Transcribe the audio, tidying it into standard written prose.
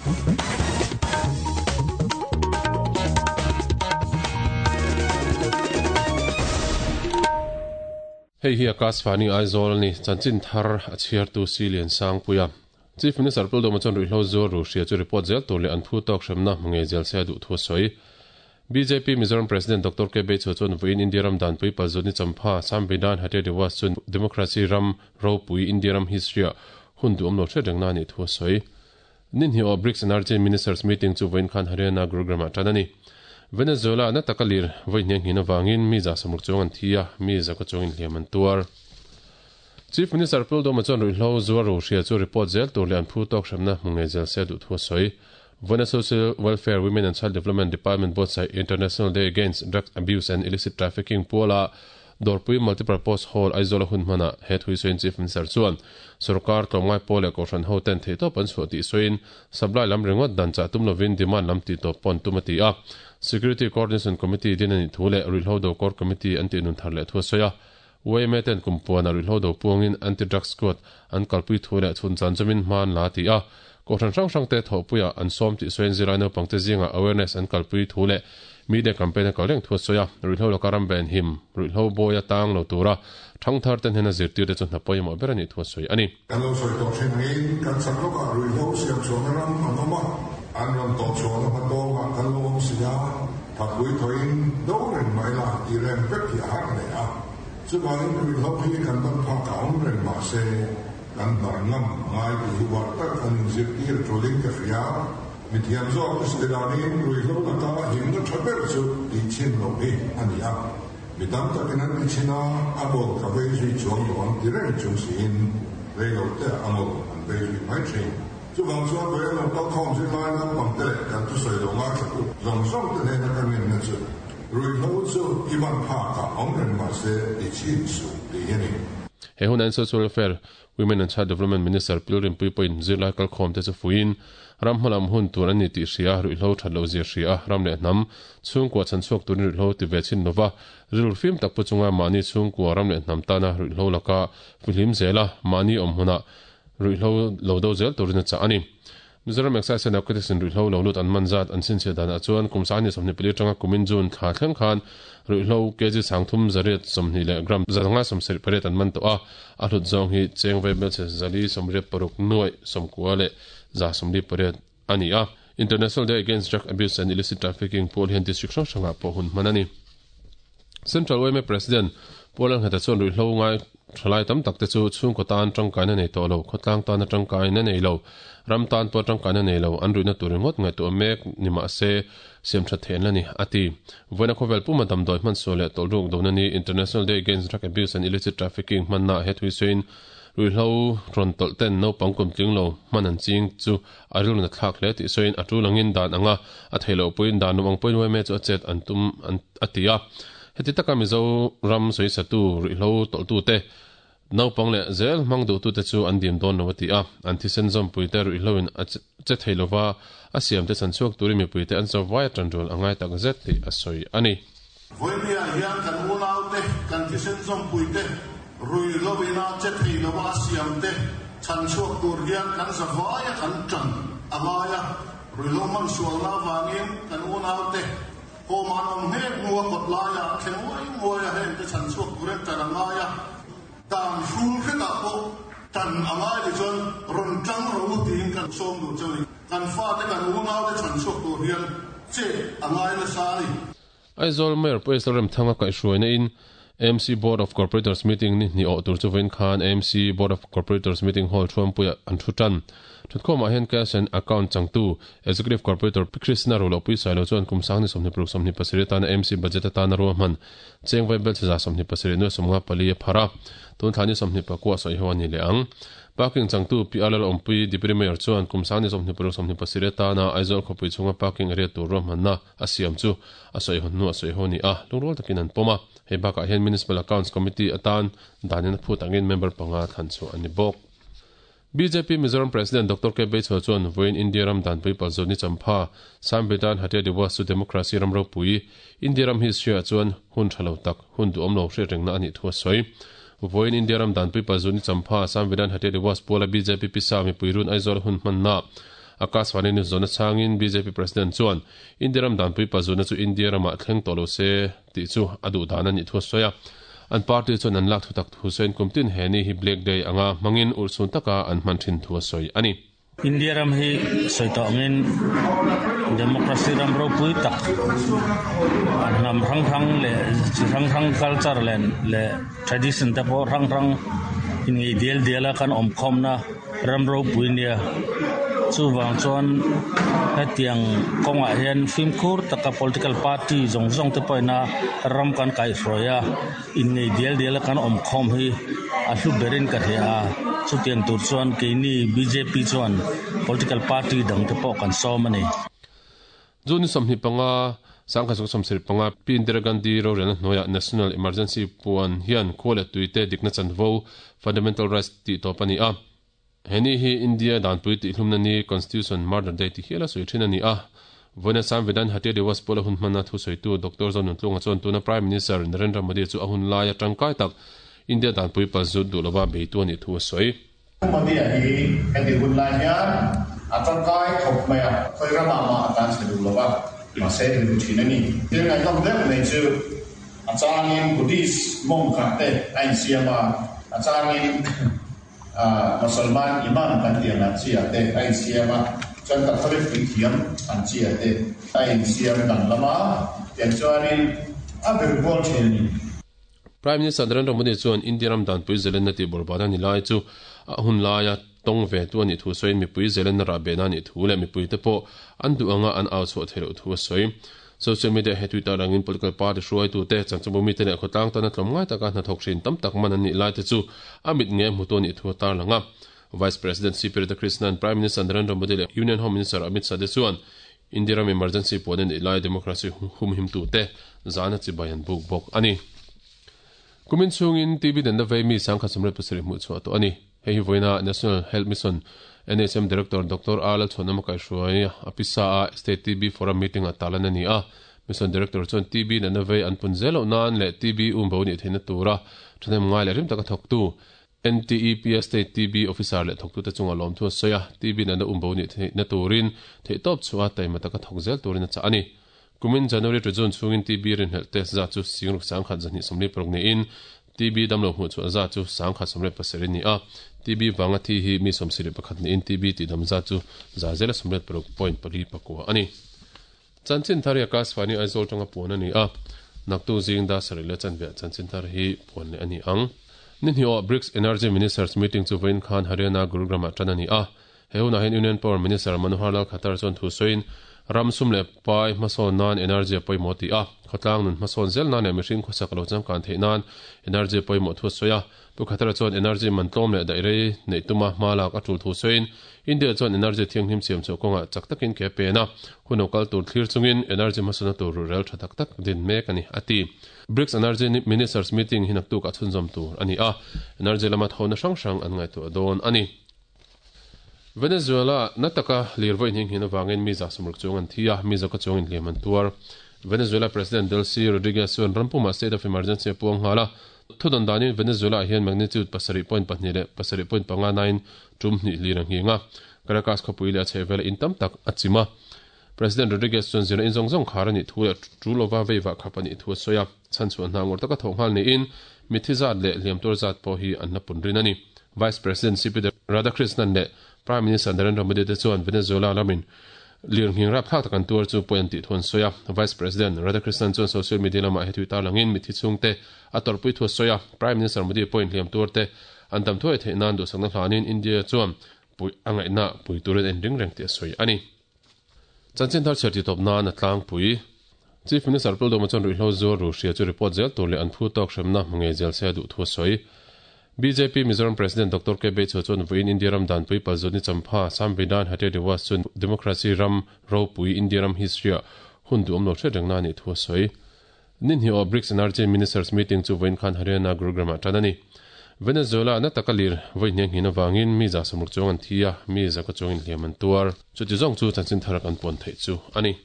Hei hi Akashvani Aizawl a ni, chanchin thar a chhiartu Si Liansangpuia. Chief Minister Puldawma chuan ruihhlo zuar ru hria chu report zel tur leh an phu tawk hremna hmu ngei zel se a duh thu a sawi. Bjp Mizoram President Doctor K Beichhua chuan vawiin India ram danpui palzut ni champha Samvidhan Hatya Diwas chu Democracy ram ropui India ram history-ah hun duhawm lo hriat rengna a nih thu a sawi. Ni hnih aw Brics Energy Ministers Meeting chu vawiin khan Haryana Gurugram-ah tan a ni. Venezuela-ah na taka lir vawi hniang hnin avangin mi za sawmruk chuang an thi a, mi zaka chuangin hliam an tuar. Chief Minister Puldawma chuan ruihhlo zuar ro hria chu report zel tur leh an phu tawk hremna hmu ngei zel se a duh thu a sawi. Vawiina Social Welfare, Women and Child Development Department buatsaih International Day Against Drugs Abuse and Illicit Trafficking puala Dawrpui Multipurpose Hall, Aizawl-a hun hmanah he thui sawiin Chief Minister chuan sorkar tlawmngai pawl leh kohhran ho ten theihtawp an chhuah tih sawiin supply lam ringawt dan chah tum lovin demand lam tih tawp pawh an tum a ti a. Security Coordination Committee din a nih thu leh Ruihhlo Do Core Committee an tih nun thar leh thu a sawi a. Yma ten kum puanah ruihhlo do puangin Anti-Drug Squad an kalpui thu leh chhun chan chumin hma an la ti a. Kohhran hrang hrangte thawhpuiah an sawm tih sawiin zirlai naupangte zingah awareness an kalpui thu leh media campaign a kal reng thu a sawi a. Ruihhlo laka ram ben him, ruihhlo bawi a tang lo tura thangthar te hnena zirtirte chu hna pawimawh ber a nih thu a sawi a ni. Kan lo sawi tawh thin angin kan chak lawkah ruihhlo siam chhuahna ram an awm a, an rawn tawh chhuahna hma tawngah kan lo awm si a, thapui thawiin do reng mai la tih reng vek hi a har hle a. Chuvangin ruihhlo hi kan ban phak a awm reng mah se kan hnar ngam a ngai tih hi uar tak an inzirtir tulin ka hria. Mithiam zawk te sawi danin ruihhlo laka himna tha ber chu tihchhin loh hi a ni a. Mi tam takin an ti thin a, a bawk ka vei zui chuang lo ang ti reng chung siin rei lo te a ngawt an vei zui mai thin. Chuvang chuan vawi a lo kal khawm zirlai naupang te leh kan thusawi lo ngaithlatu zawng zawng te hnena ka ngenna chu ruihhlo chu i ban phakah awm reng mahse ti chhin suh tih hi a ni. He hunah hian Social Welfare Women and Child Development Minister Pil Rinpui pawhin zirlai kalkhawm te chu fuiin, ram hmalam hun tur an ni tih hria, ruihhlo that loh zia hria a, ram leh hnam, chhungkua chhan chhuak turin ruihhlo ti ve chhin lova, rilru fim tak pu chunga mahni chhungkua ram leh hnam tana ruihhlo laka fihlim zela mahni awm hmunah ruihhlo lo do zel turin a chah a ni. Mizoram Excise and Narcotics in ruihhlo lo lut an man zat an chhinchhiah danah chuan kum 2024 atanga kumin June thla thleng khan ruihhlo kg 3 320 leh gram 578 an man tawh a, a hlut zawng hi cheng vaibelchhe 486 nuaih 90 leh 148 a ni a. International Day Against Drug Abuse and Illicit Trafficking pawl hian district hrang hrangah pawh hun hman a ni. Central yma President Pu Lalngheta chuan ruihhlo ngai thalai tam tak te chu chhungkaw tan tangkaina nei tawh lo, khawtlang tana tangkaina nei lo, ram tan pawh tangkaina nei lo, an ruihna tur ringawt ngaihtuah mek ni mah se siam that theih an la ni, a ti. Vawiina khawvel puma damdawi hmansual leh tawlhruk dona ni International Day Against Drug Abuse and Illicit Trafficking hmanna he thui sawiin ruihhlo rawn tawlh ten naupang kum tling lo hman an ching chu A rilru na thlak hle tih sawiin a tul angin dan anga a theih loh pawhin dan awm ang pawhin yma chu a chet an tum an a ti a. Heti taka Mizoram sawisatu ruihhlo tawlhtute, naupang leh zel hmang duhtute chu an dim dawn lo a ti a. An thisen zawmpuite ruihhloin a che thei lova a siamte chhan chhuak turin mipuite an cho vai a tanrual a ngai tak zet tih a sawi a ni. Vawinia hian kan unaute, kan thisen zawmpuite, ruihloin a che thei lova a siamte chhan chhuak tur hian kan zavaia kan tan a ngai a. Ruihlo hman sualna avangin kan unaute home an awm hnek hnu a kawt laiah thleng nguai nguai a hengte chhan chhuak turin tan a ngai a. Dan hrul hretah pawh tan a ngai ti chuan rawn tang rawh u tiin kan sawm duh cheu ni. Kan fate kan unaute chhan chhuak tur hian chet a ngai nasa a ni. Aizawl Mayor Pu Esla Remthanga kaihhruaina in AMC Board of Corporators meeting ni hnih awh tur chu vawiin khan AMC Board of Corporators meeting hall thuampuiah an thu tan. Thutkhawmah hian Cash and Account changtu Executive Corporator Pi Krishna Rulohpui Sailo chuan kum 2026 27 atana AMC budget atana ruahman cheng vai belchhe 27 nuai 54 a phar a, tun thla ni 24 sawi ho a ni leh ang. Parking changtu Pi Alal Awmpui Deputy Mayor chuan kum 2026 27 atana Aizawl khawpui chhunga parking area tur ruahmanna a siam chu a sawi hawn hnu a sawi haw ni a, lungrual takin an pawm a. Hei bakah hian Municipal Accounts Committee atan danin a phut angin member panga thlan chhuah a ni bawk. Bjp Mizoram President Doctor K Beichhua chuan vawiin India ram danpui palzut ni champha Samvidhan Hatya Diwas chu democracy ram ropui India ram history ah chuan hun tha lo tak, hun duhawm lo hriat rengna a nih thu a sawi. Vawiin India ram danpui palzut ni champha Samvidhan Hatya Diwas puala bjp pisa mipui run Aizawl hun hmanna. Akashvani News zawhna chhangin bjp President chuan India ram danpui pazutna chu India ramah thleng tawh lo se tih chu a duh dan a nih thu a sawi a. An party chuan an lak thutak thu sawiin kum tin he ni hi Black Day anga hmangin urhsun taka an hman thin thu a sawi a ni. India ram hi sawi tawh angin democracy ram ropui tak a hnam hrang hrang leh chi hrang hrang culture leh leh tradition te pawh hrang hrang inngei dial dial a kan awm khawmna ram ropui nia. Chuvang chuan hetiang kawngah hian fimkhur taka political party zawng zawng te pawhin a ram kan kaihhruai a. Innei dial diala kan awm khawm hi a hlu berin ka hria a, chutiang tur chuan keini bjp chuan political party dang te pawh kan sawm a ni. June 25, 1975, Pi Indira Gandhi rorelna hnuaiah National Emergency puan hian khua leh tuite dikna chanvo, Fundamental Rights, tih tawp a ni a. He ni hi India danpui tihhlumna ni, Constitution Murder Day ti hiala sawi thin a ni a. Vawiina Samvidhan Hatya Diwas pawla hun hmanna thusawitu Doctor Zonuntlunga chuan tuna Prime Minister Narendra Modi chu a hun laia tangkai tak India danpui palzut duh lova beitu a nih thu a sawi. Pu Modi-a hi heti hun lai hian a tangkai khawp mai a, khawi ramah mah a tan chhe duh lova, mahse rilru thin a ni. Thil ngaihnawm deuh mai chu a changin Buddhist monk ah te a insiam a, a changin Mosalman Imam kan tih ang chi ah te a insiam a, chuan Catholic puithiam ang chi ah te a insiam danglam a, tiang chuanin a vir kual thin a ni. Prime Minister Narendra Modi chuan India ram danpui zelenna tih bawrhbana ni lai chu a hun laia tawng ve tu a nih thu sawiin mipui zelenna rah behna a nih thu leh mipuite pawh an duh anga an au chhuah theih loh thu a sawi. Social media he Twitter angin political party hruaitute, chanchinbu mite leh khawtlang tana tlawmngai taka hnathawk hrin tam tak man an nih laite chu a mit nge hmutu a nih thu a tarlang a. Vice President CP Radhakrishnan, Prime Minister Narendra Modi leh Union Home Minister Amit Shah te chuan India ram emergency puan a nih lai democracy humhimtute zahna chibai an buk bawk a ni. Kumin chhungin TB danna vei mi 17,007 hmuh chhuah tawh a ni. Hei hi vawiina National Health Mission, NHM, Director Doctor R Lalchhuanawma kaihhruai a pisa a State TB Forum meeting-ah tarlan a ni a. Mission Director chuan TB natna vei an pun zel loh nan leh TB umbo nih theihna tura thahnem ngai leh rim taka thawktu NTEP-a State TB Officer leh thawktute chunga lawmthu a sawi a, TB natna umbo nih theihna turin theihtawp chhuah a taima taka thawk zel turin a chah a ni. Kumin January to June chhungin TB rinhlelh test zat chu Singruk 1226 niin TB damlo hmuh chhuah zat chu 1107 a ni a. TB vanga thi hi mi 71 niin TB tihdam zat chu 116.49 a ni. Chanchin thar hi Akashvani Aizawl tanga puan a ni a, naktu zing dar sarih leh chanve ah chanchin thar hi puan leh a ni ang. Ni hnih awh BRICS Energy Ministers Meeting chu vawiin khan Haryana Gurugram ah tan a ni a. He hunah hian Union Power Minister Manohar Lal Khattar chuan thu sawiin, ram sum leh pai hmasawn nan energy a pawimawh tih a, khawtlang nun hmasawn zel nan leh mihring khawsak lo changkan theih nan energy a pawimawh thu a sawi a. Pu Khattar chuan energy man tlawm leh daih rei neih tuma hma lak a tul thu sawiin, India chuan energy thianghlim siam chhuah kawngah chak takin ke a pen a, hun lo kal tur thlir chungin energy hmasawnna tur ruhrel tha tak tak din mek a ni, a ti. BRICS Energy Ministers Meeting hi naktuk ah chhunzawm tur a ni a, energy lama thawhna hrang hrang an ngaihtuah dawn a ni. Venezuela na taka lir vawi hnih nghin avangin mi 160 chuang an thi a, mi zawka chuang inhliam an tuar. Venezuela President Delcy Rodriguez chuan ram pumah state of emergency a puang nghal a. Thudawn danin Venezuela ah hian magnitude 7.2 leh 7.5 nain tum hnih lir a nghing a. Caracas khawpui leh a chhehvela in tam tak a chim a. President Rodriguez chuan zirna in zawng zawng khar a nih thu leh tu lova veivah khap a nih thu a sawi a. Chhanchhuah hna ngawr taka thawh nghal niin mitthi zat leh hliamtuar zat pawh hi an la pun rin a ni. Vice President CP Radhakrishnan leh Prime Minister Narendra Modi te chuan Venezuela lamin lirnghing rapthlak tak an tuar chu pawi an tih thu an sawi a. Vice President Radhakrishnan chuan social media lamah he tui tarlangin mitthi chhungte a tawrhpui thu a sawi a. Prime Minister Modi pawhin hliamtuar te an dam thuai theih nan duhsakna hlanin India chuan puih a ngaihna pui turin a inring reng tih a sawi a ni. Chanchin thar chhiar titawp nan a tlangpui. Chief Minister Pildawma chuan ruihhlo zuar ru hria chu report zel tur leh an phu tawk hremna hmu ngei zel se a duh thu a sawi. Bjp Mizoram President Doctor K Beichhua chuan vawiin India ram danpui palzut ni champha Samvidhan Hatya Diwas chu Democracy ram ropui India ram history-ah hun duhawm lo hriat rengna a nih thu a sawi. Ni hnih awh BRICS Energy Ministers Meeting chu vawiin khan Haryana Gurugram-ah tan a ni. Venezuela na taka lir vawi hniang hnin avangin mi 60 chuang an thi a, mi zaka chuangin hliam an tuar. Chuti zawng chu chanchin thar kan puan theih chu a ni.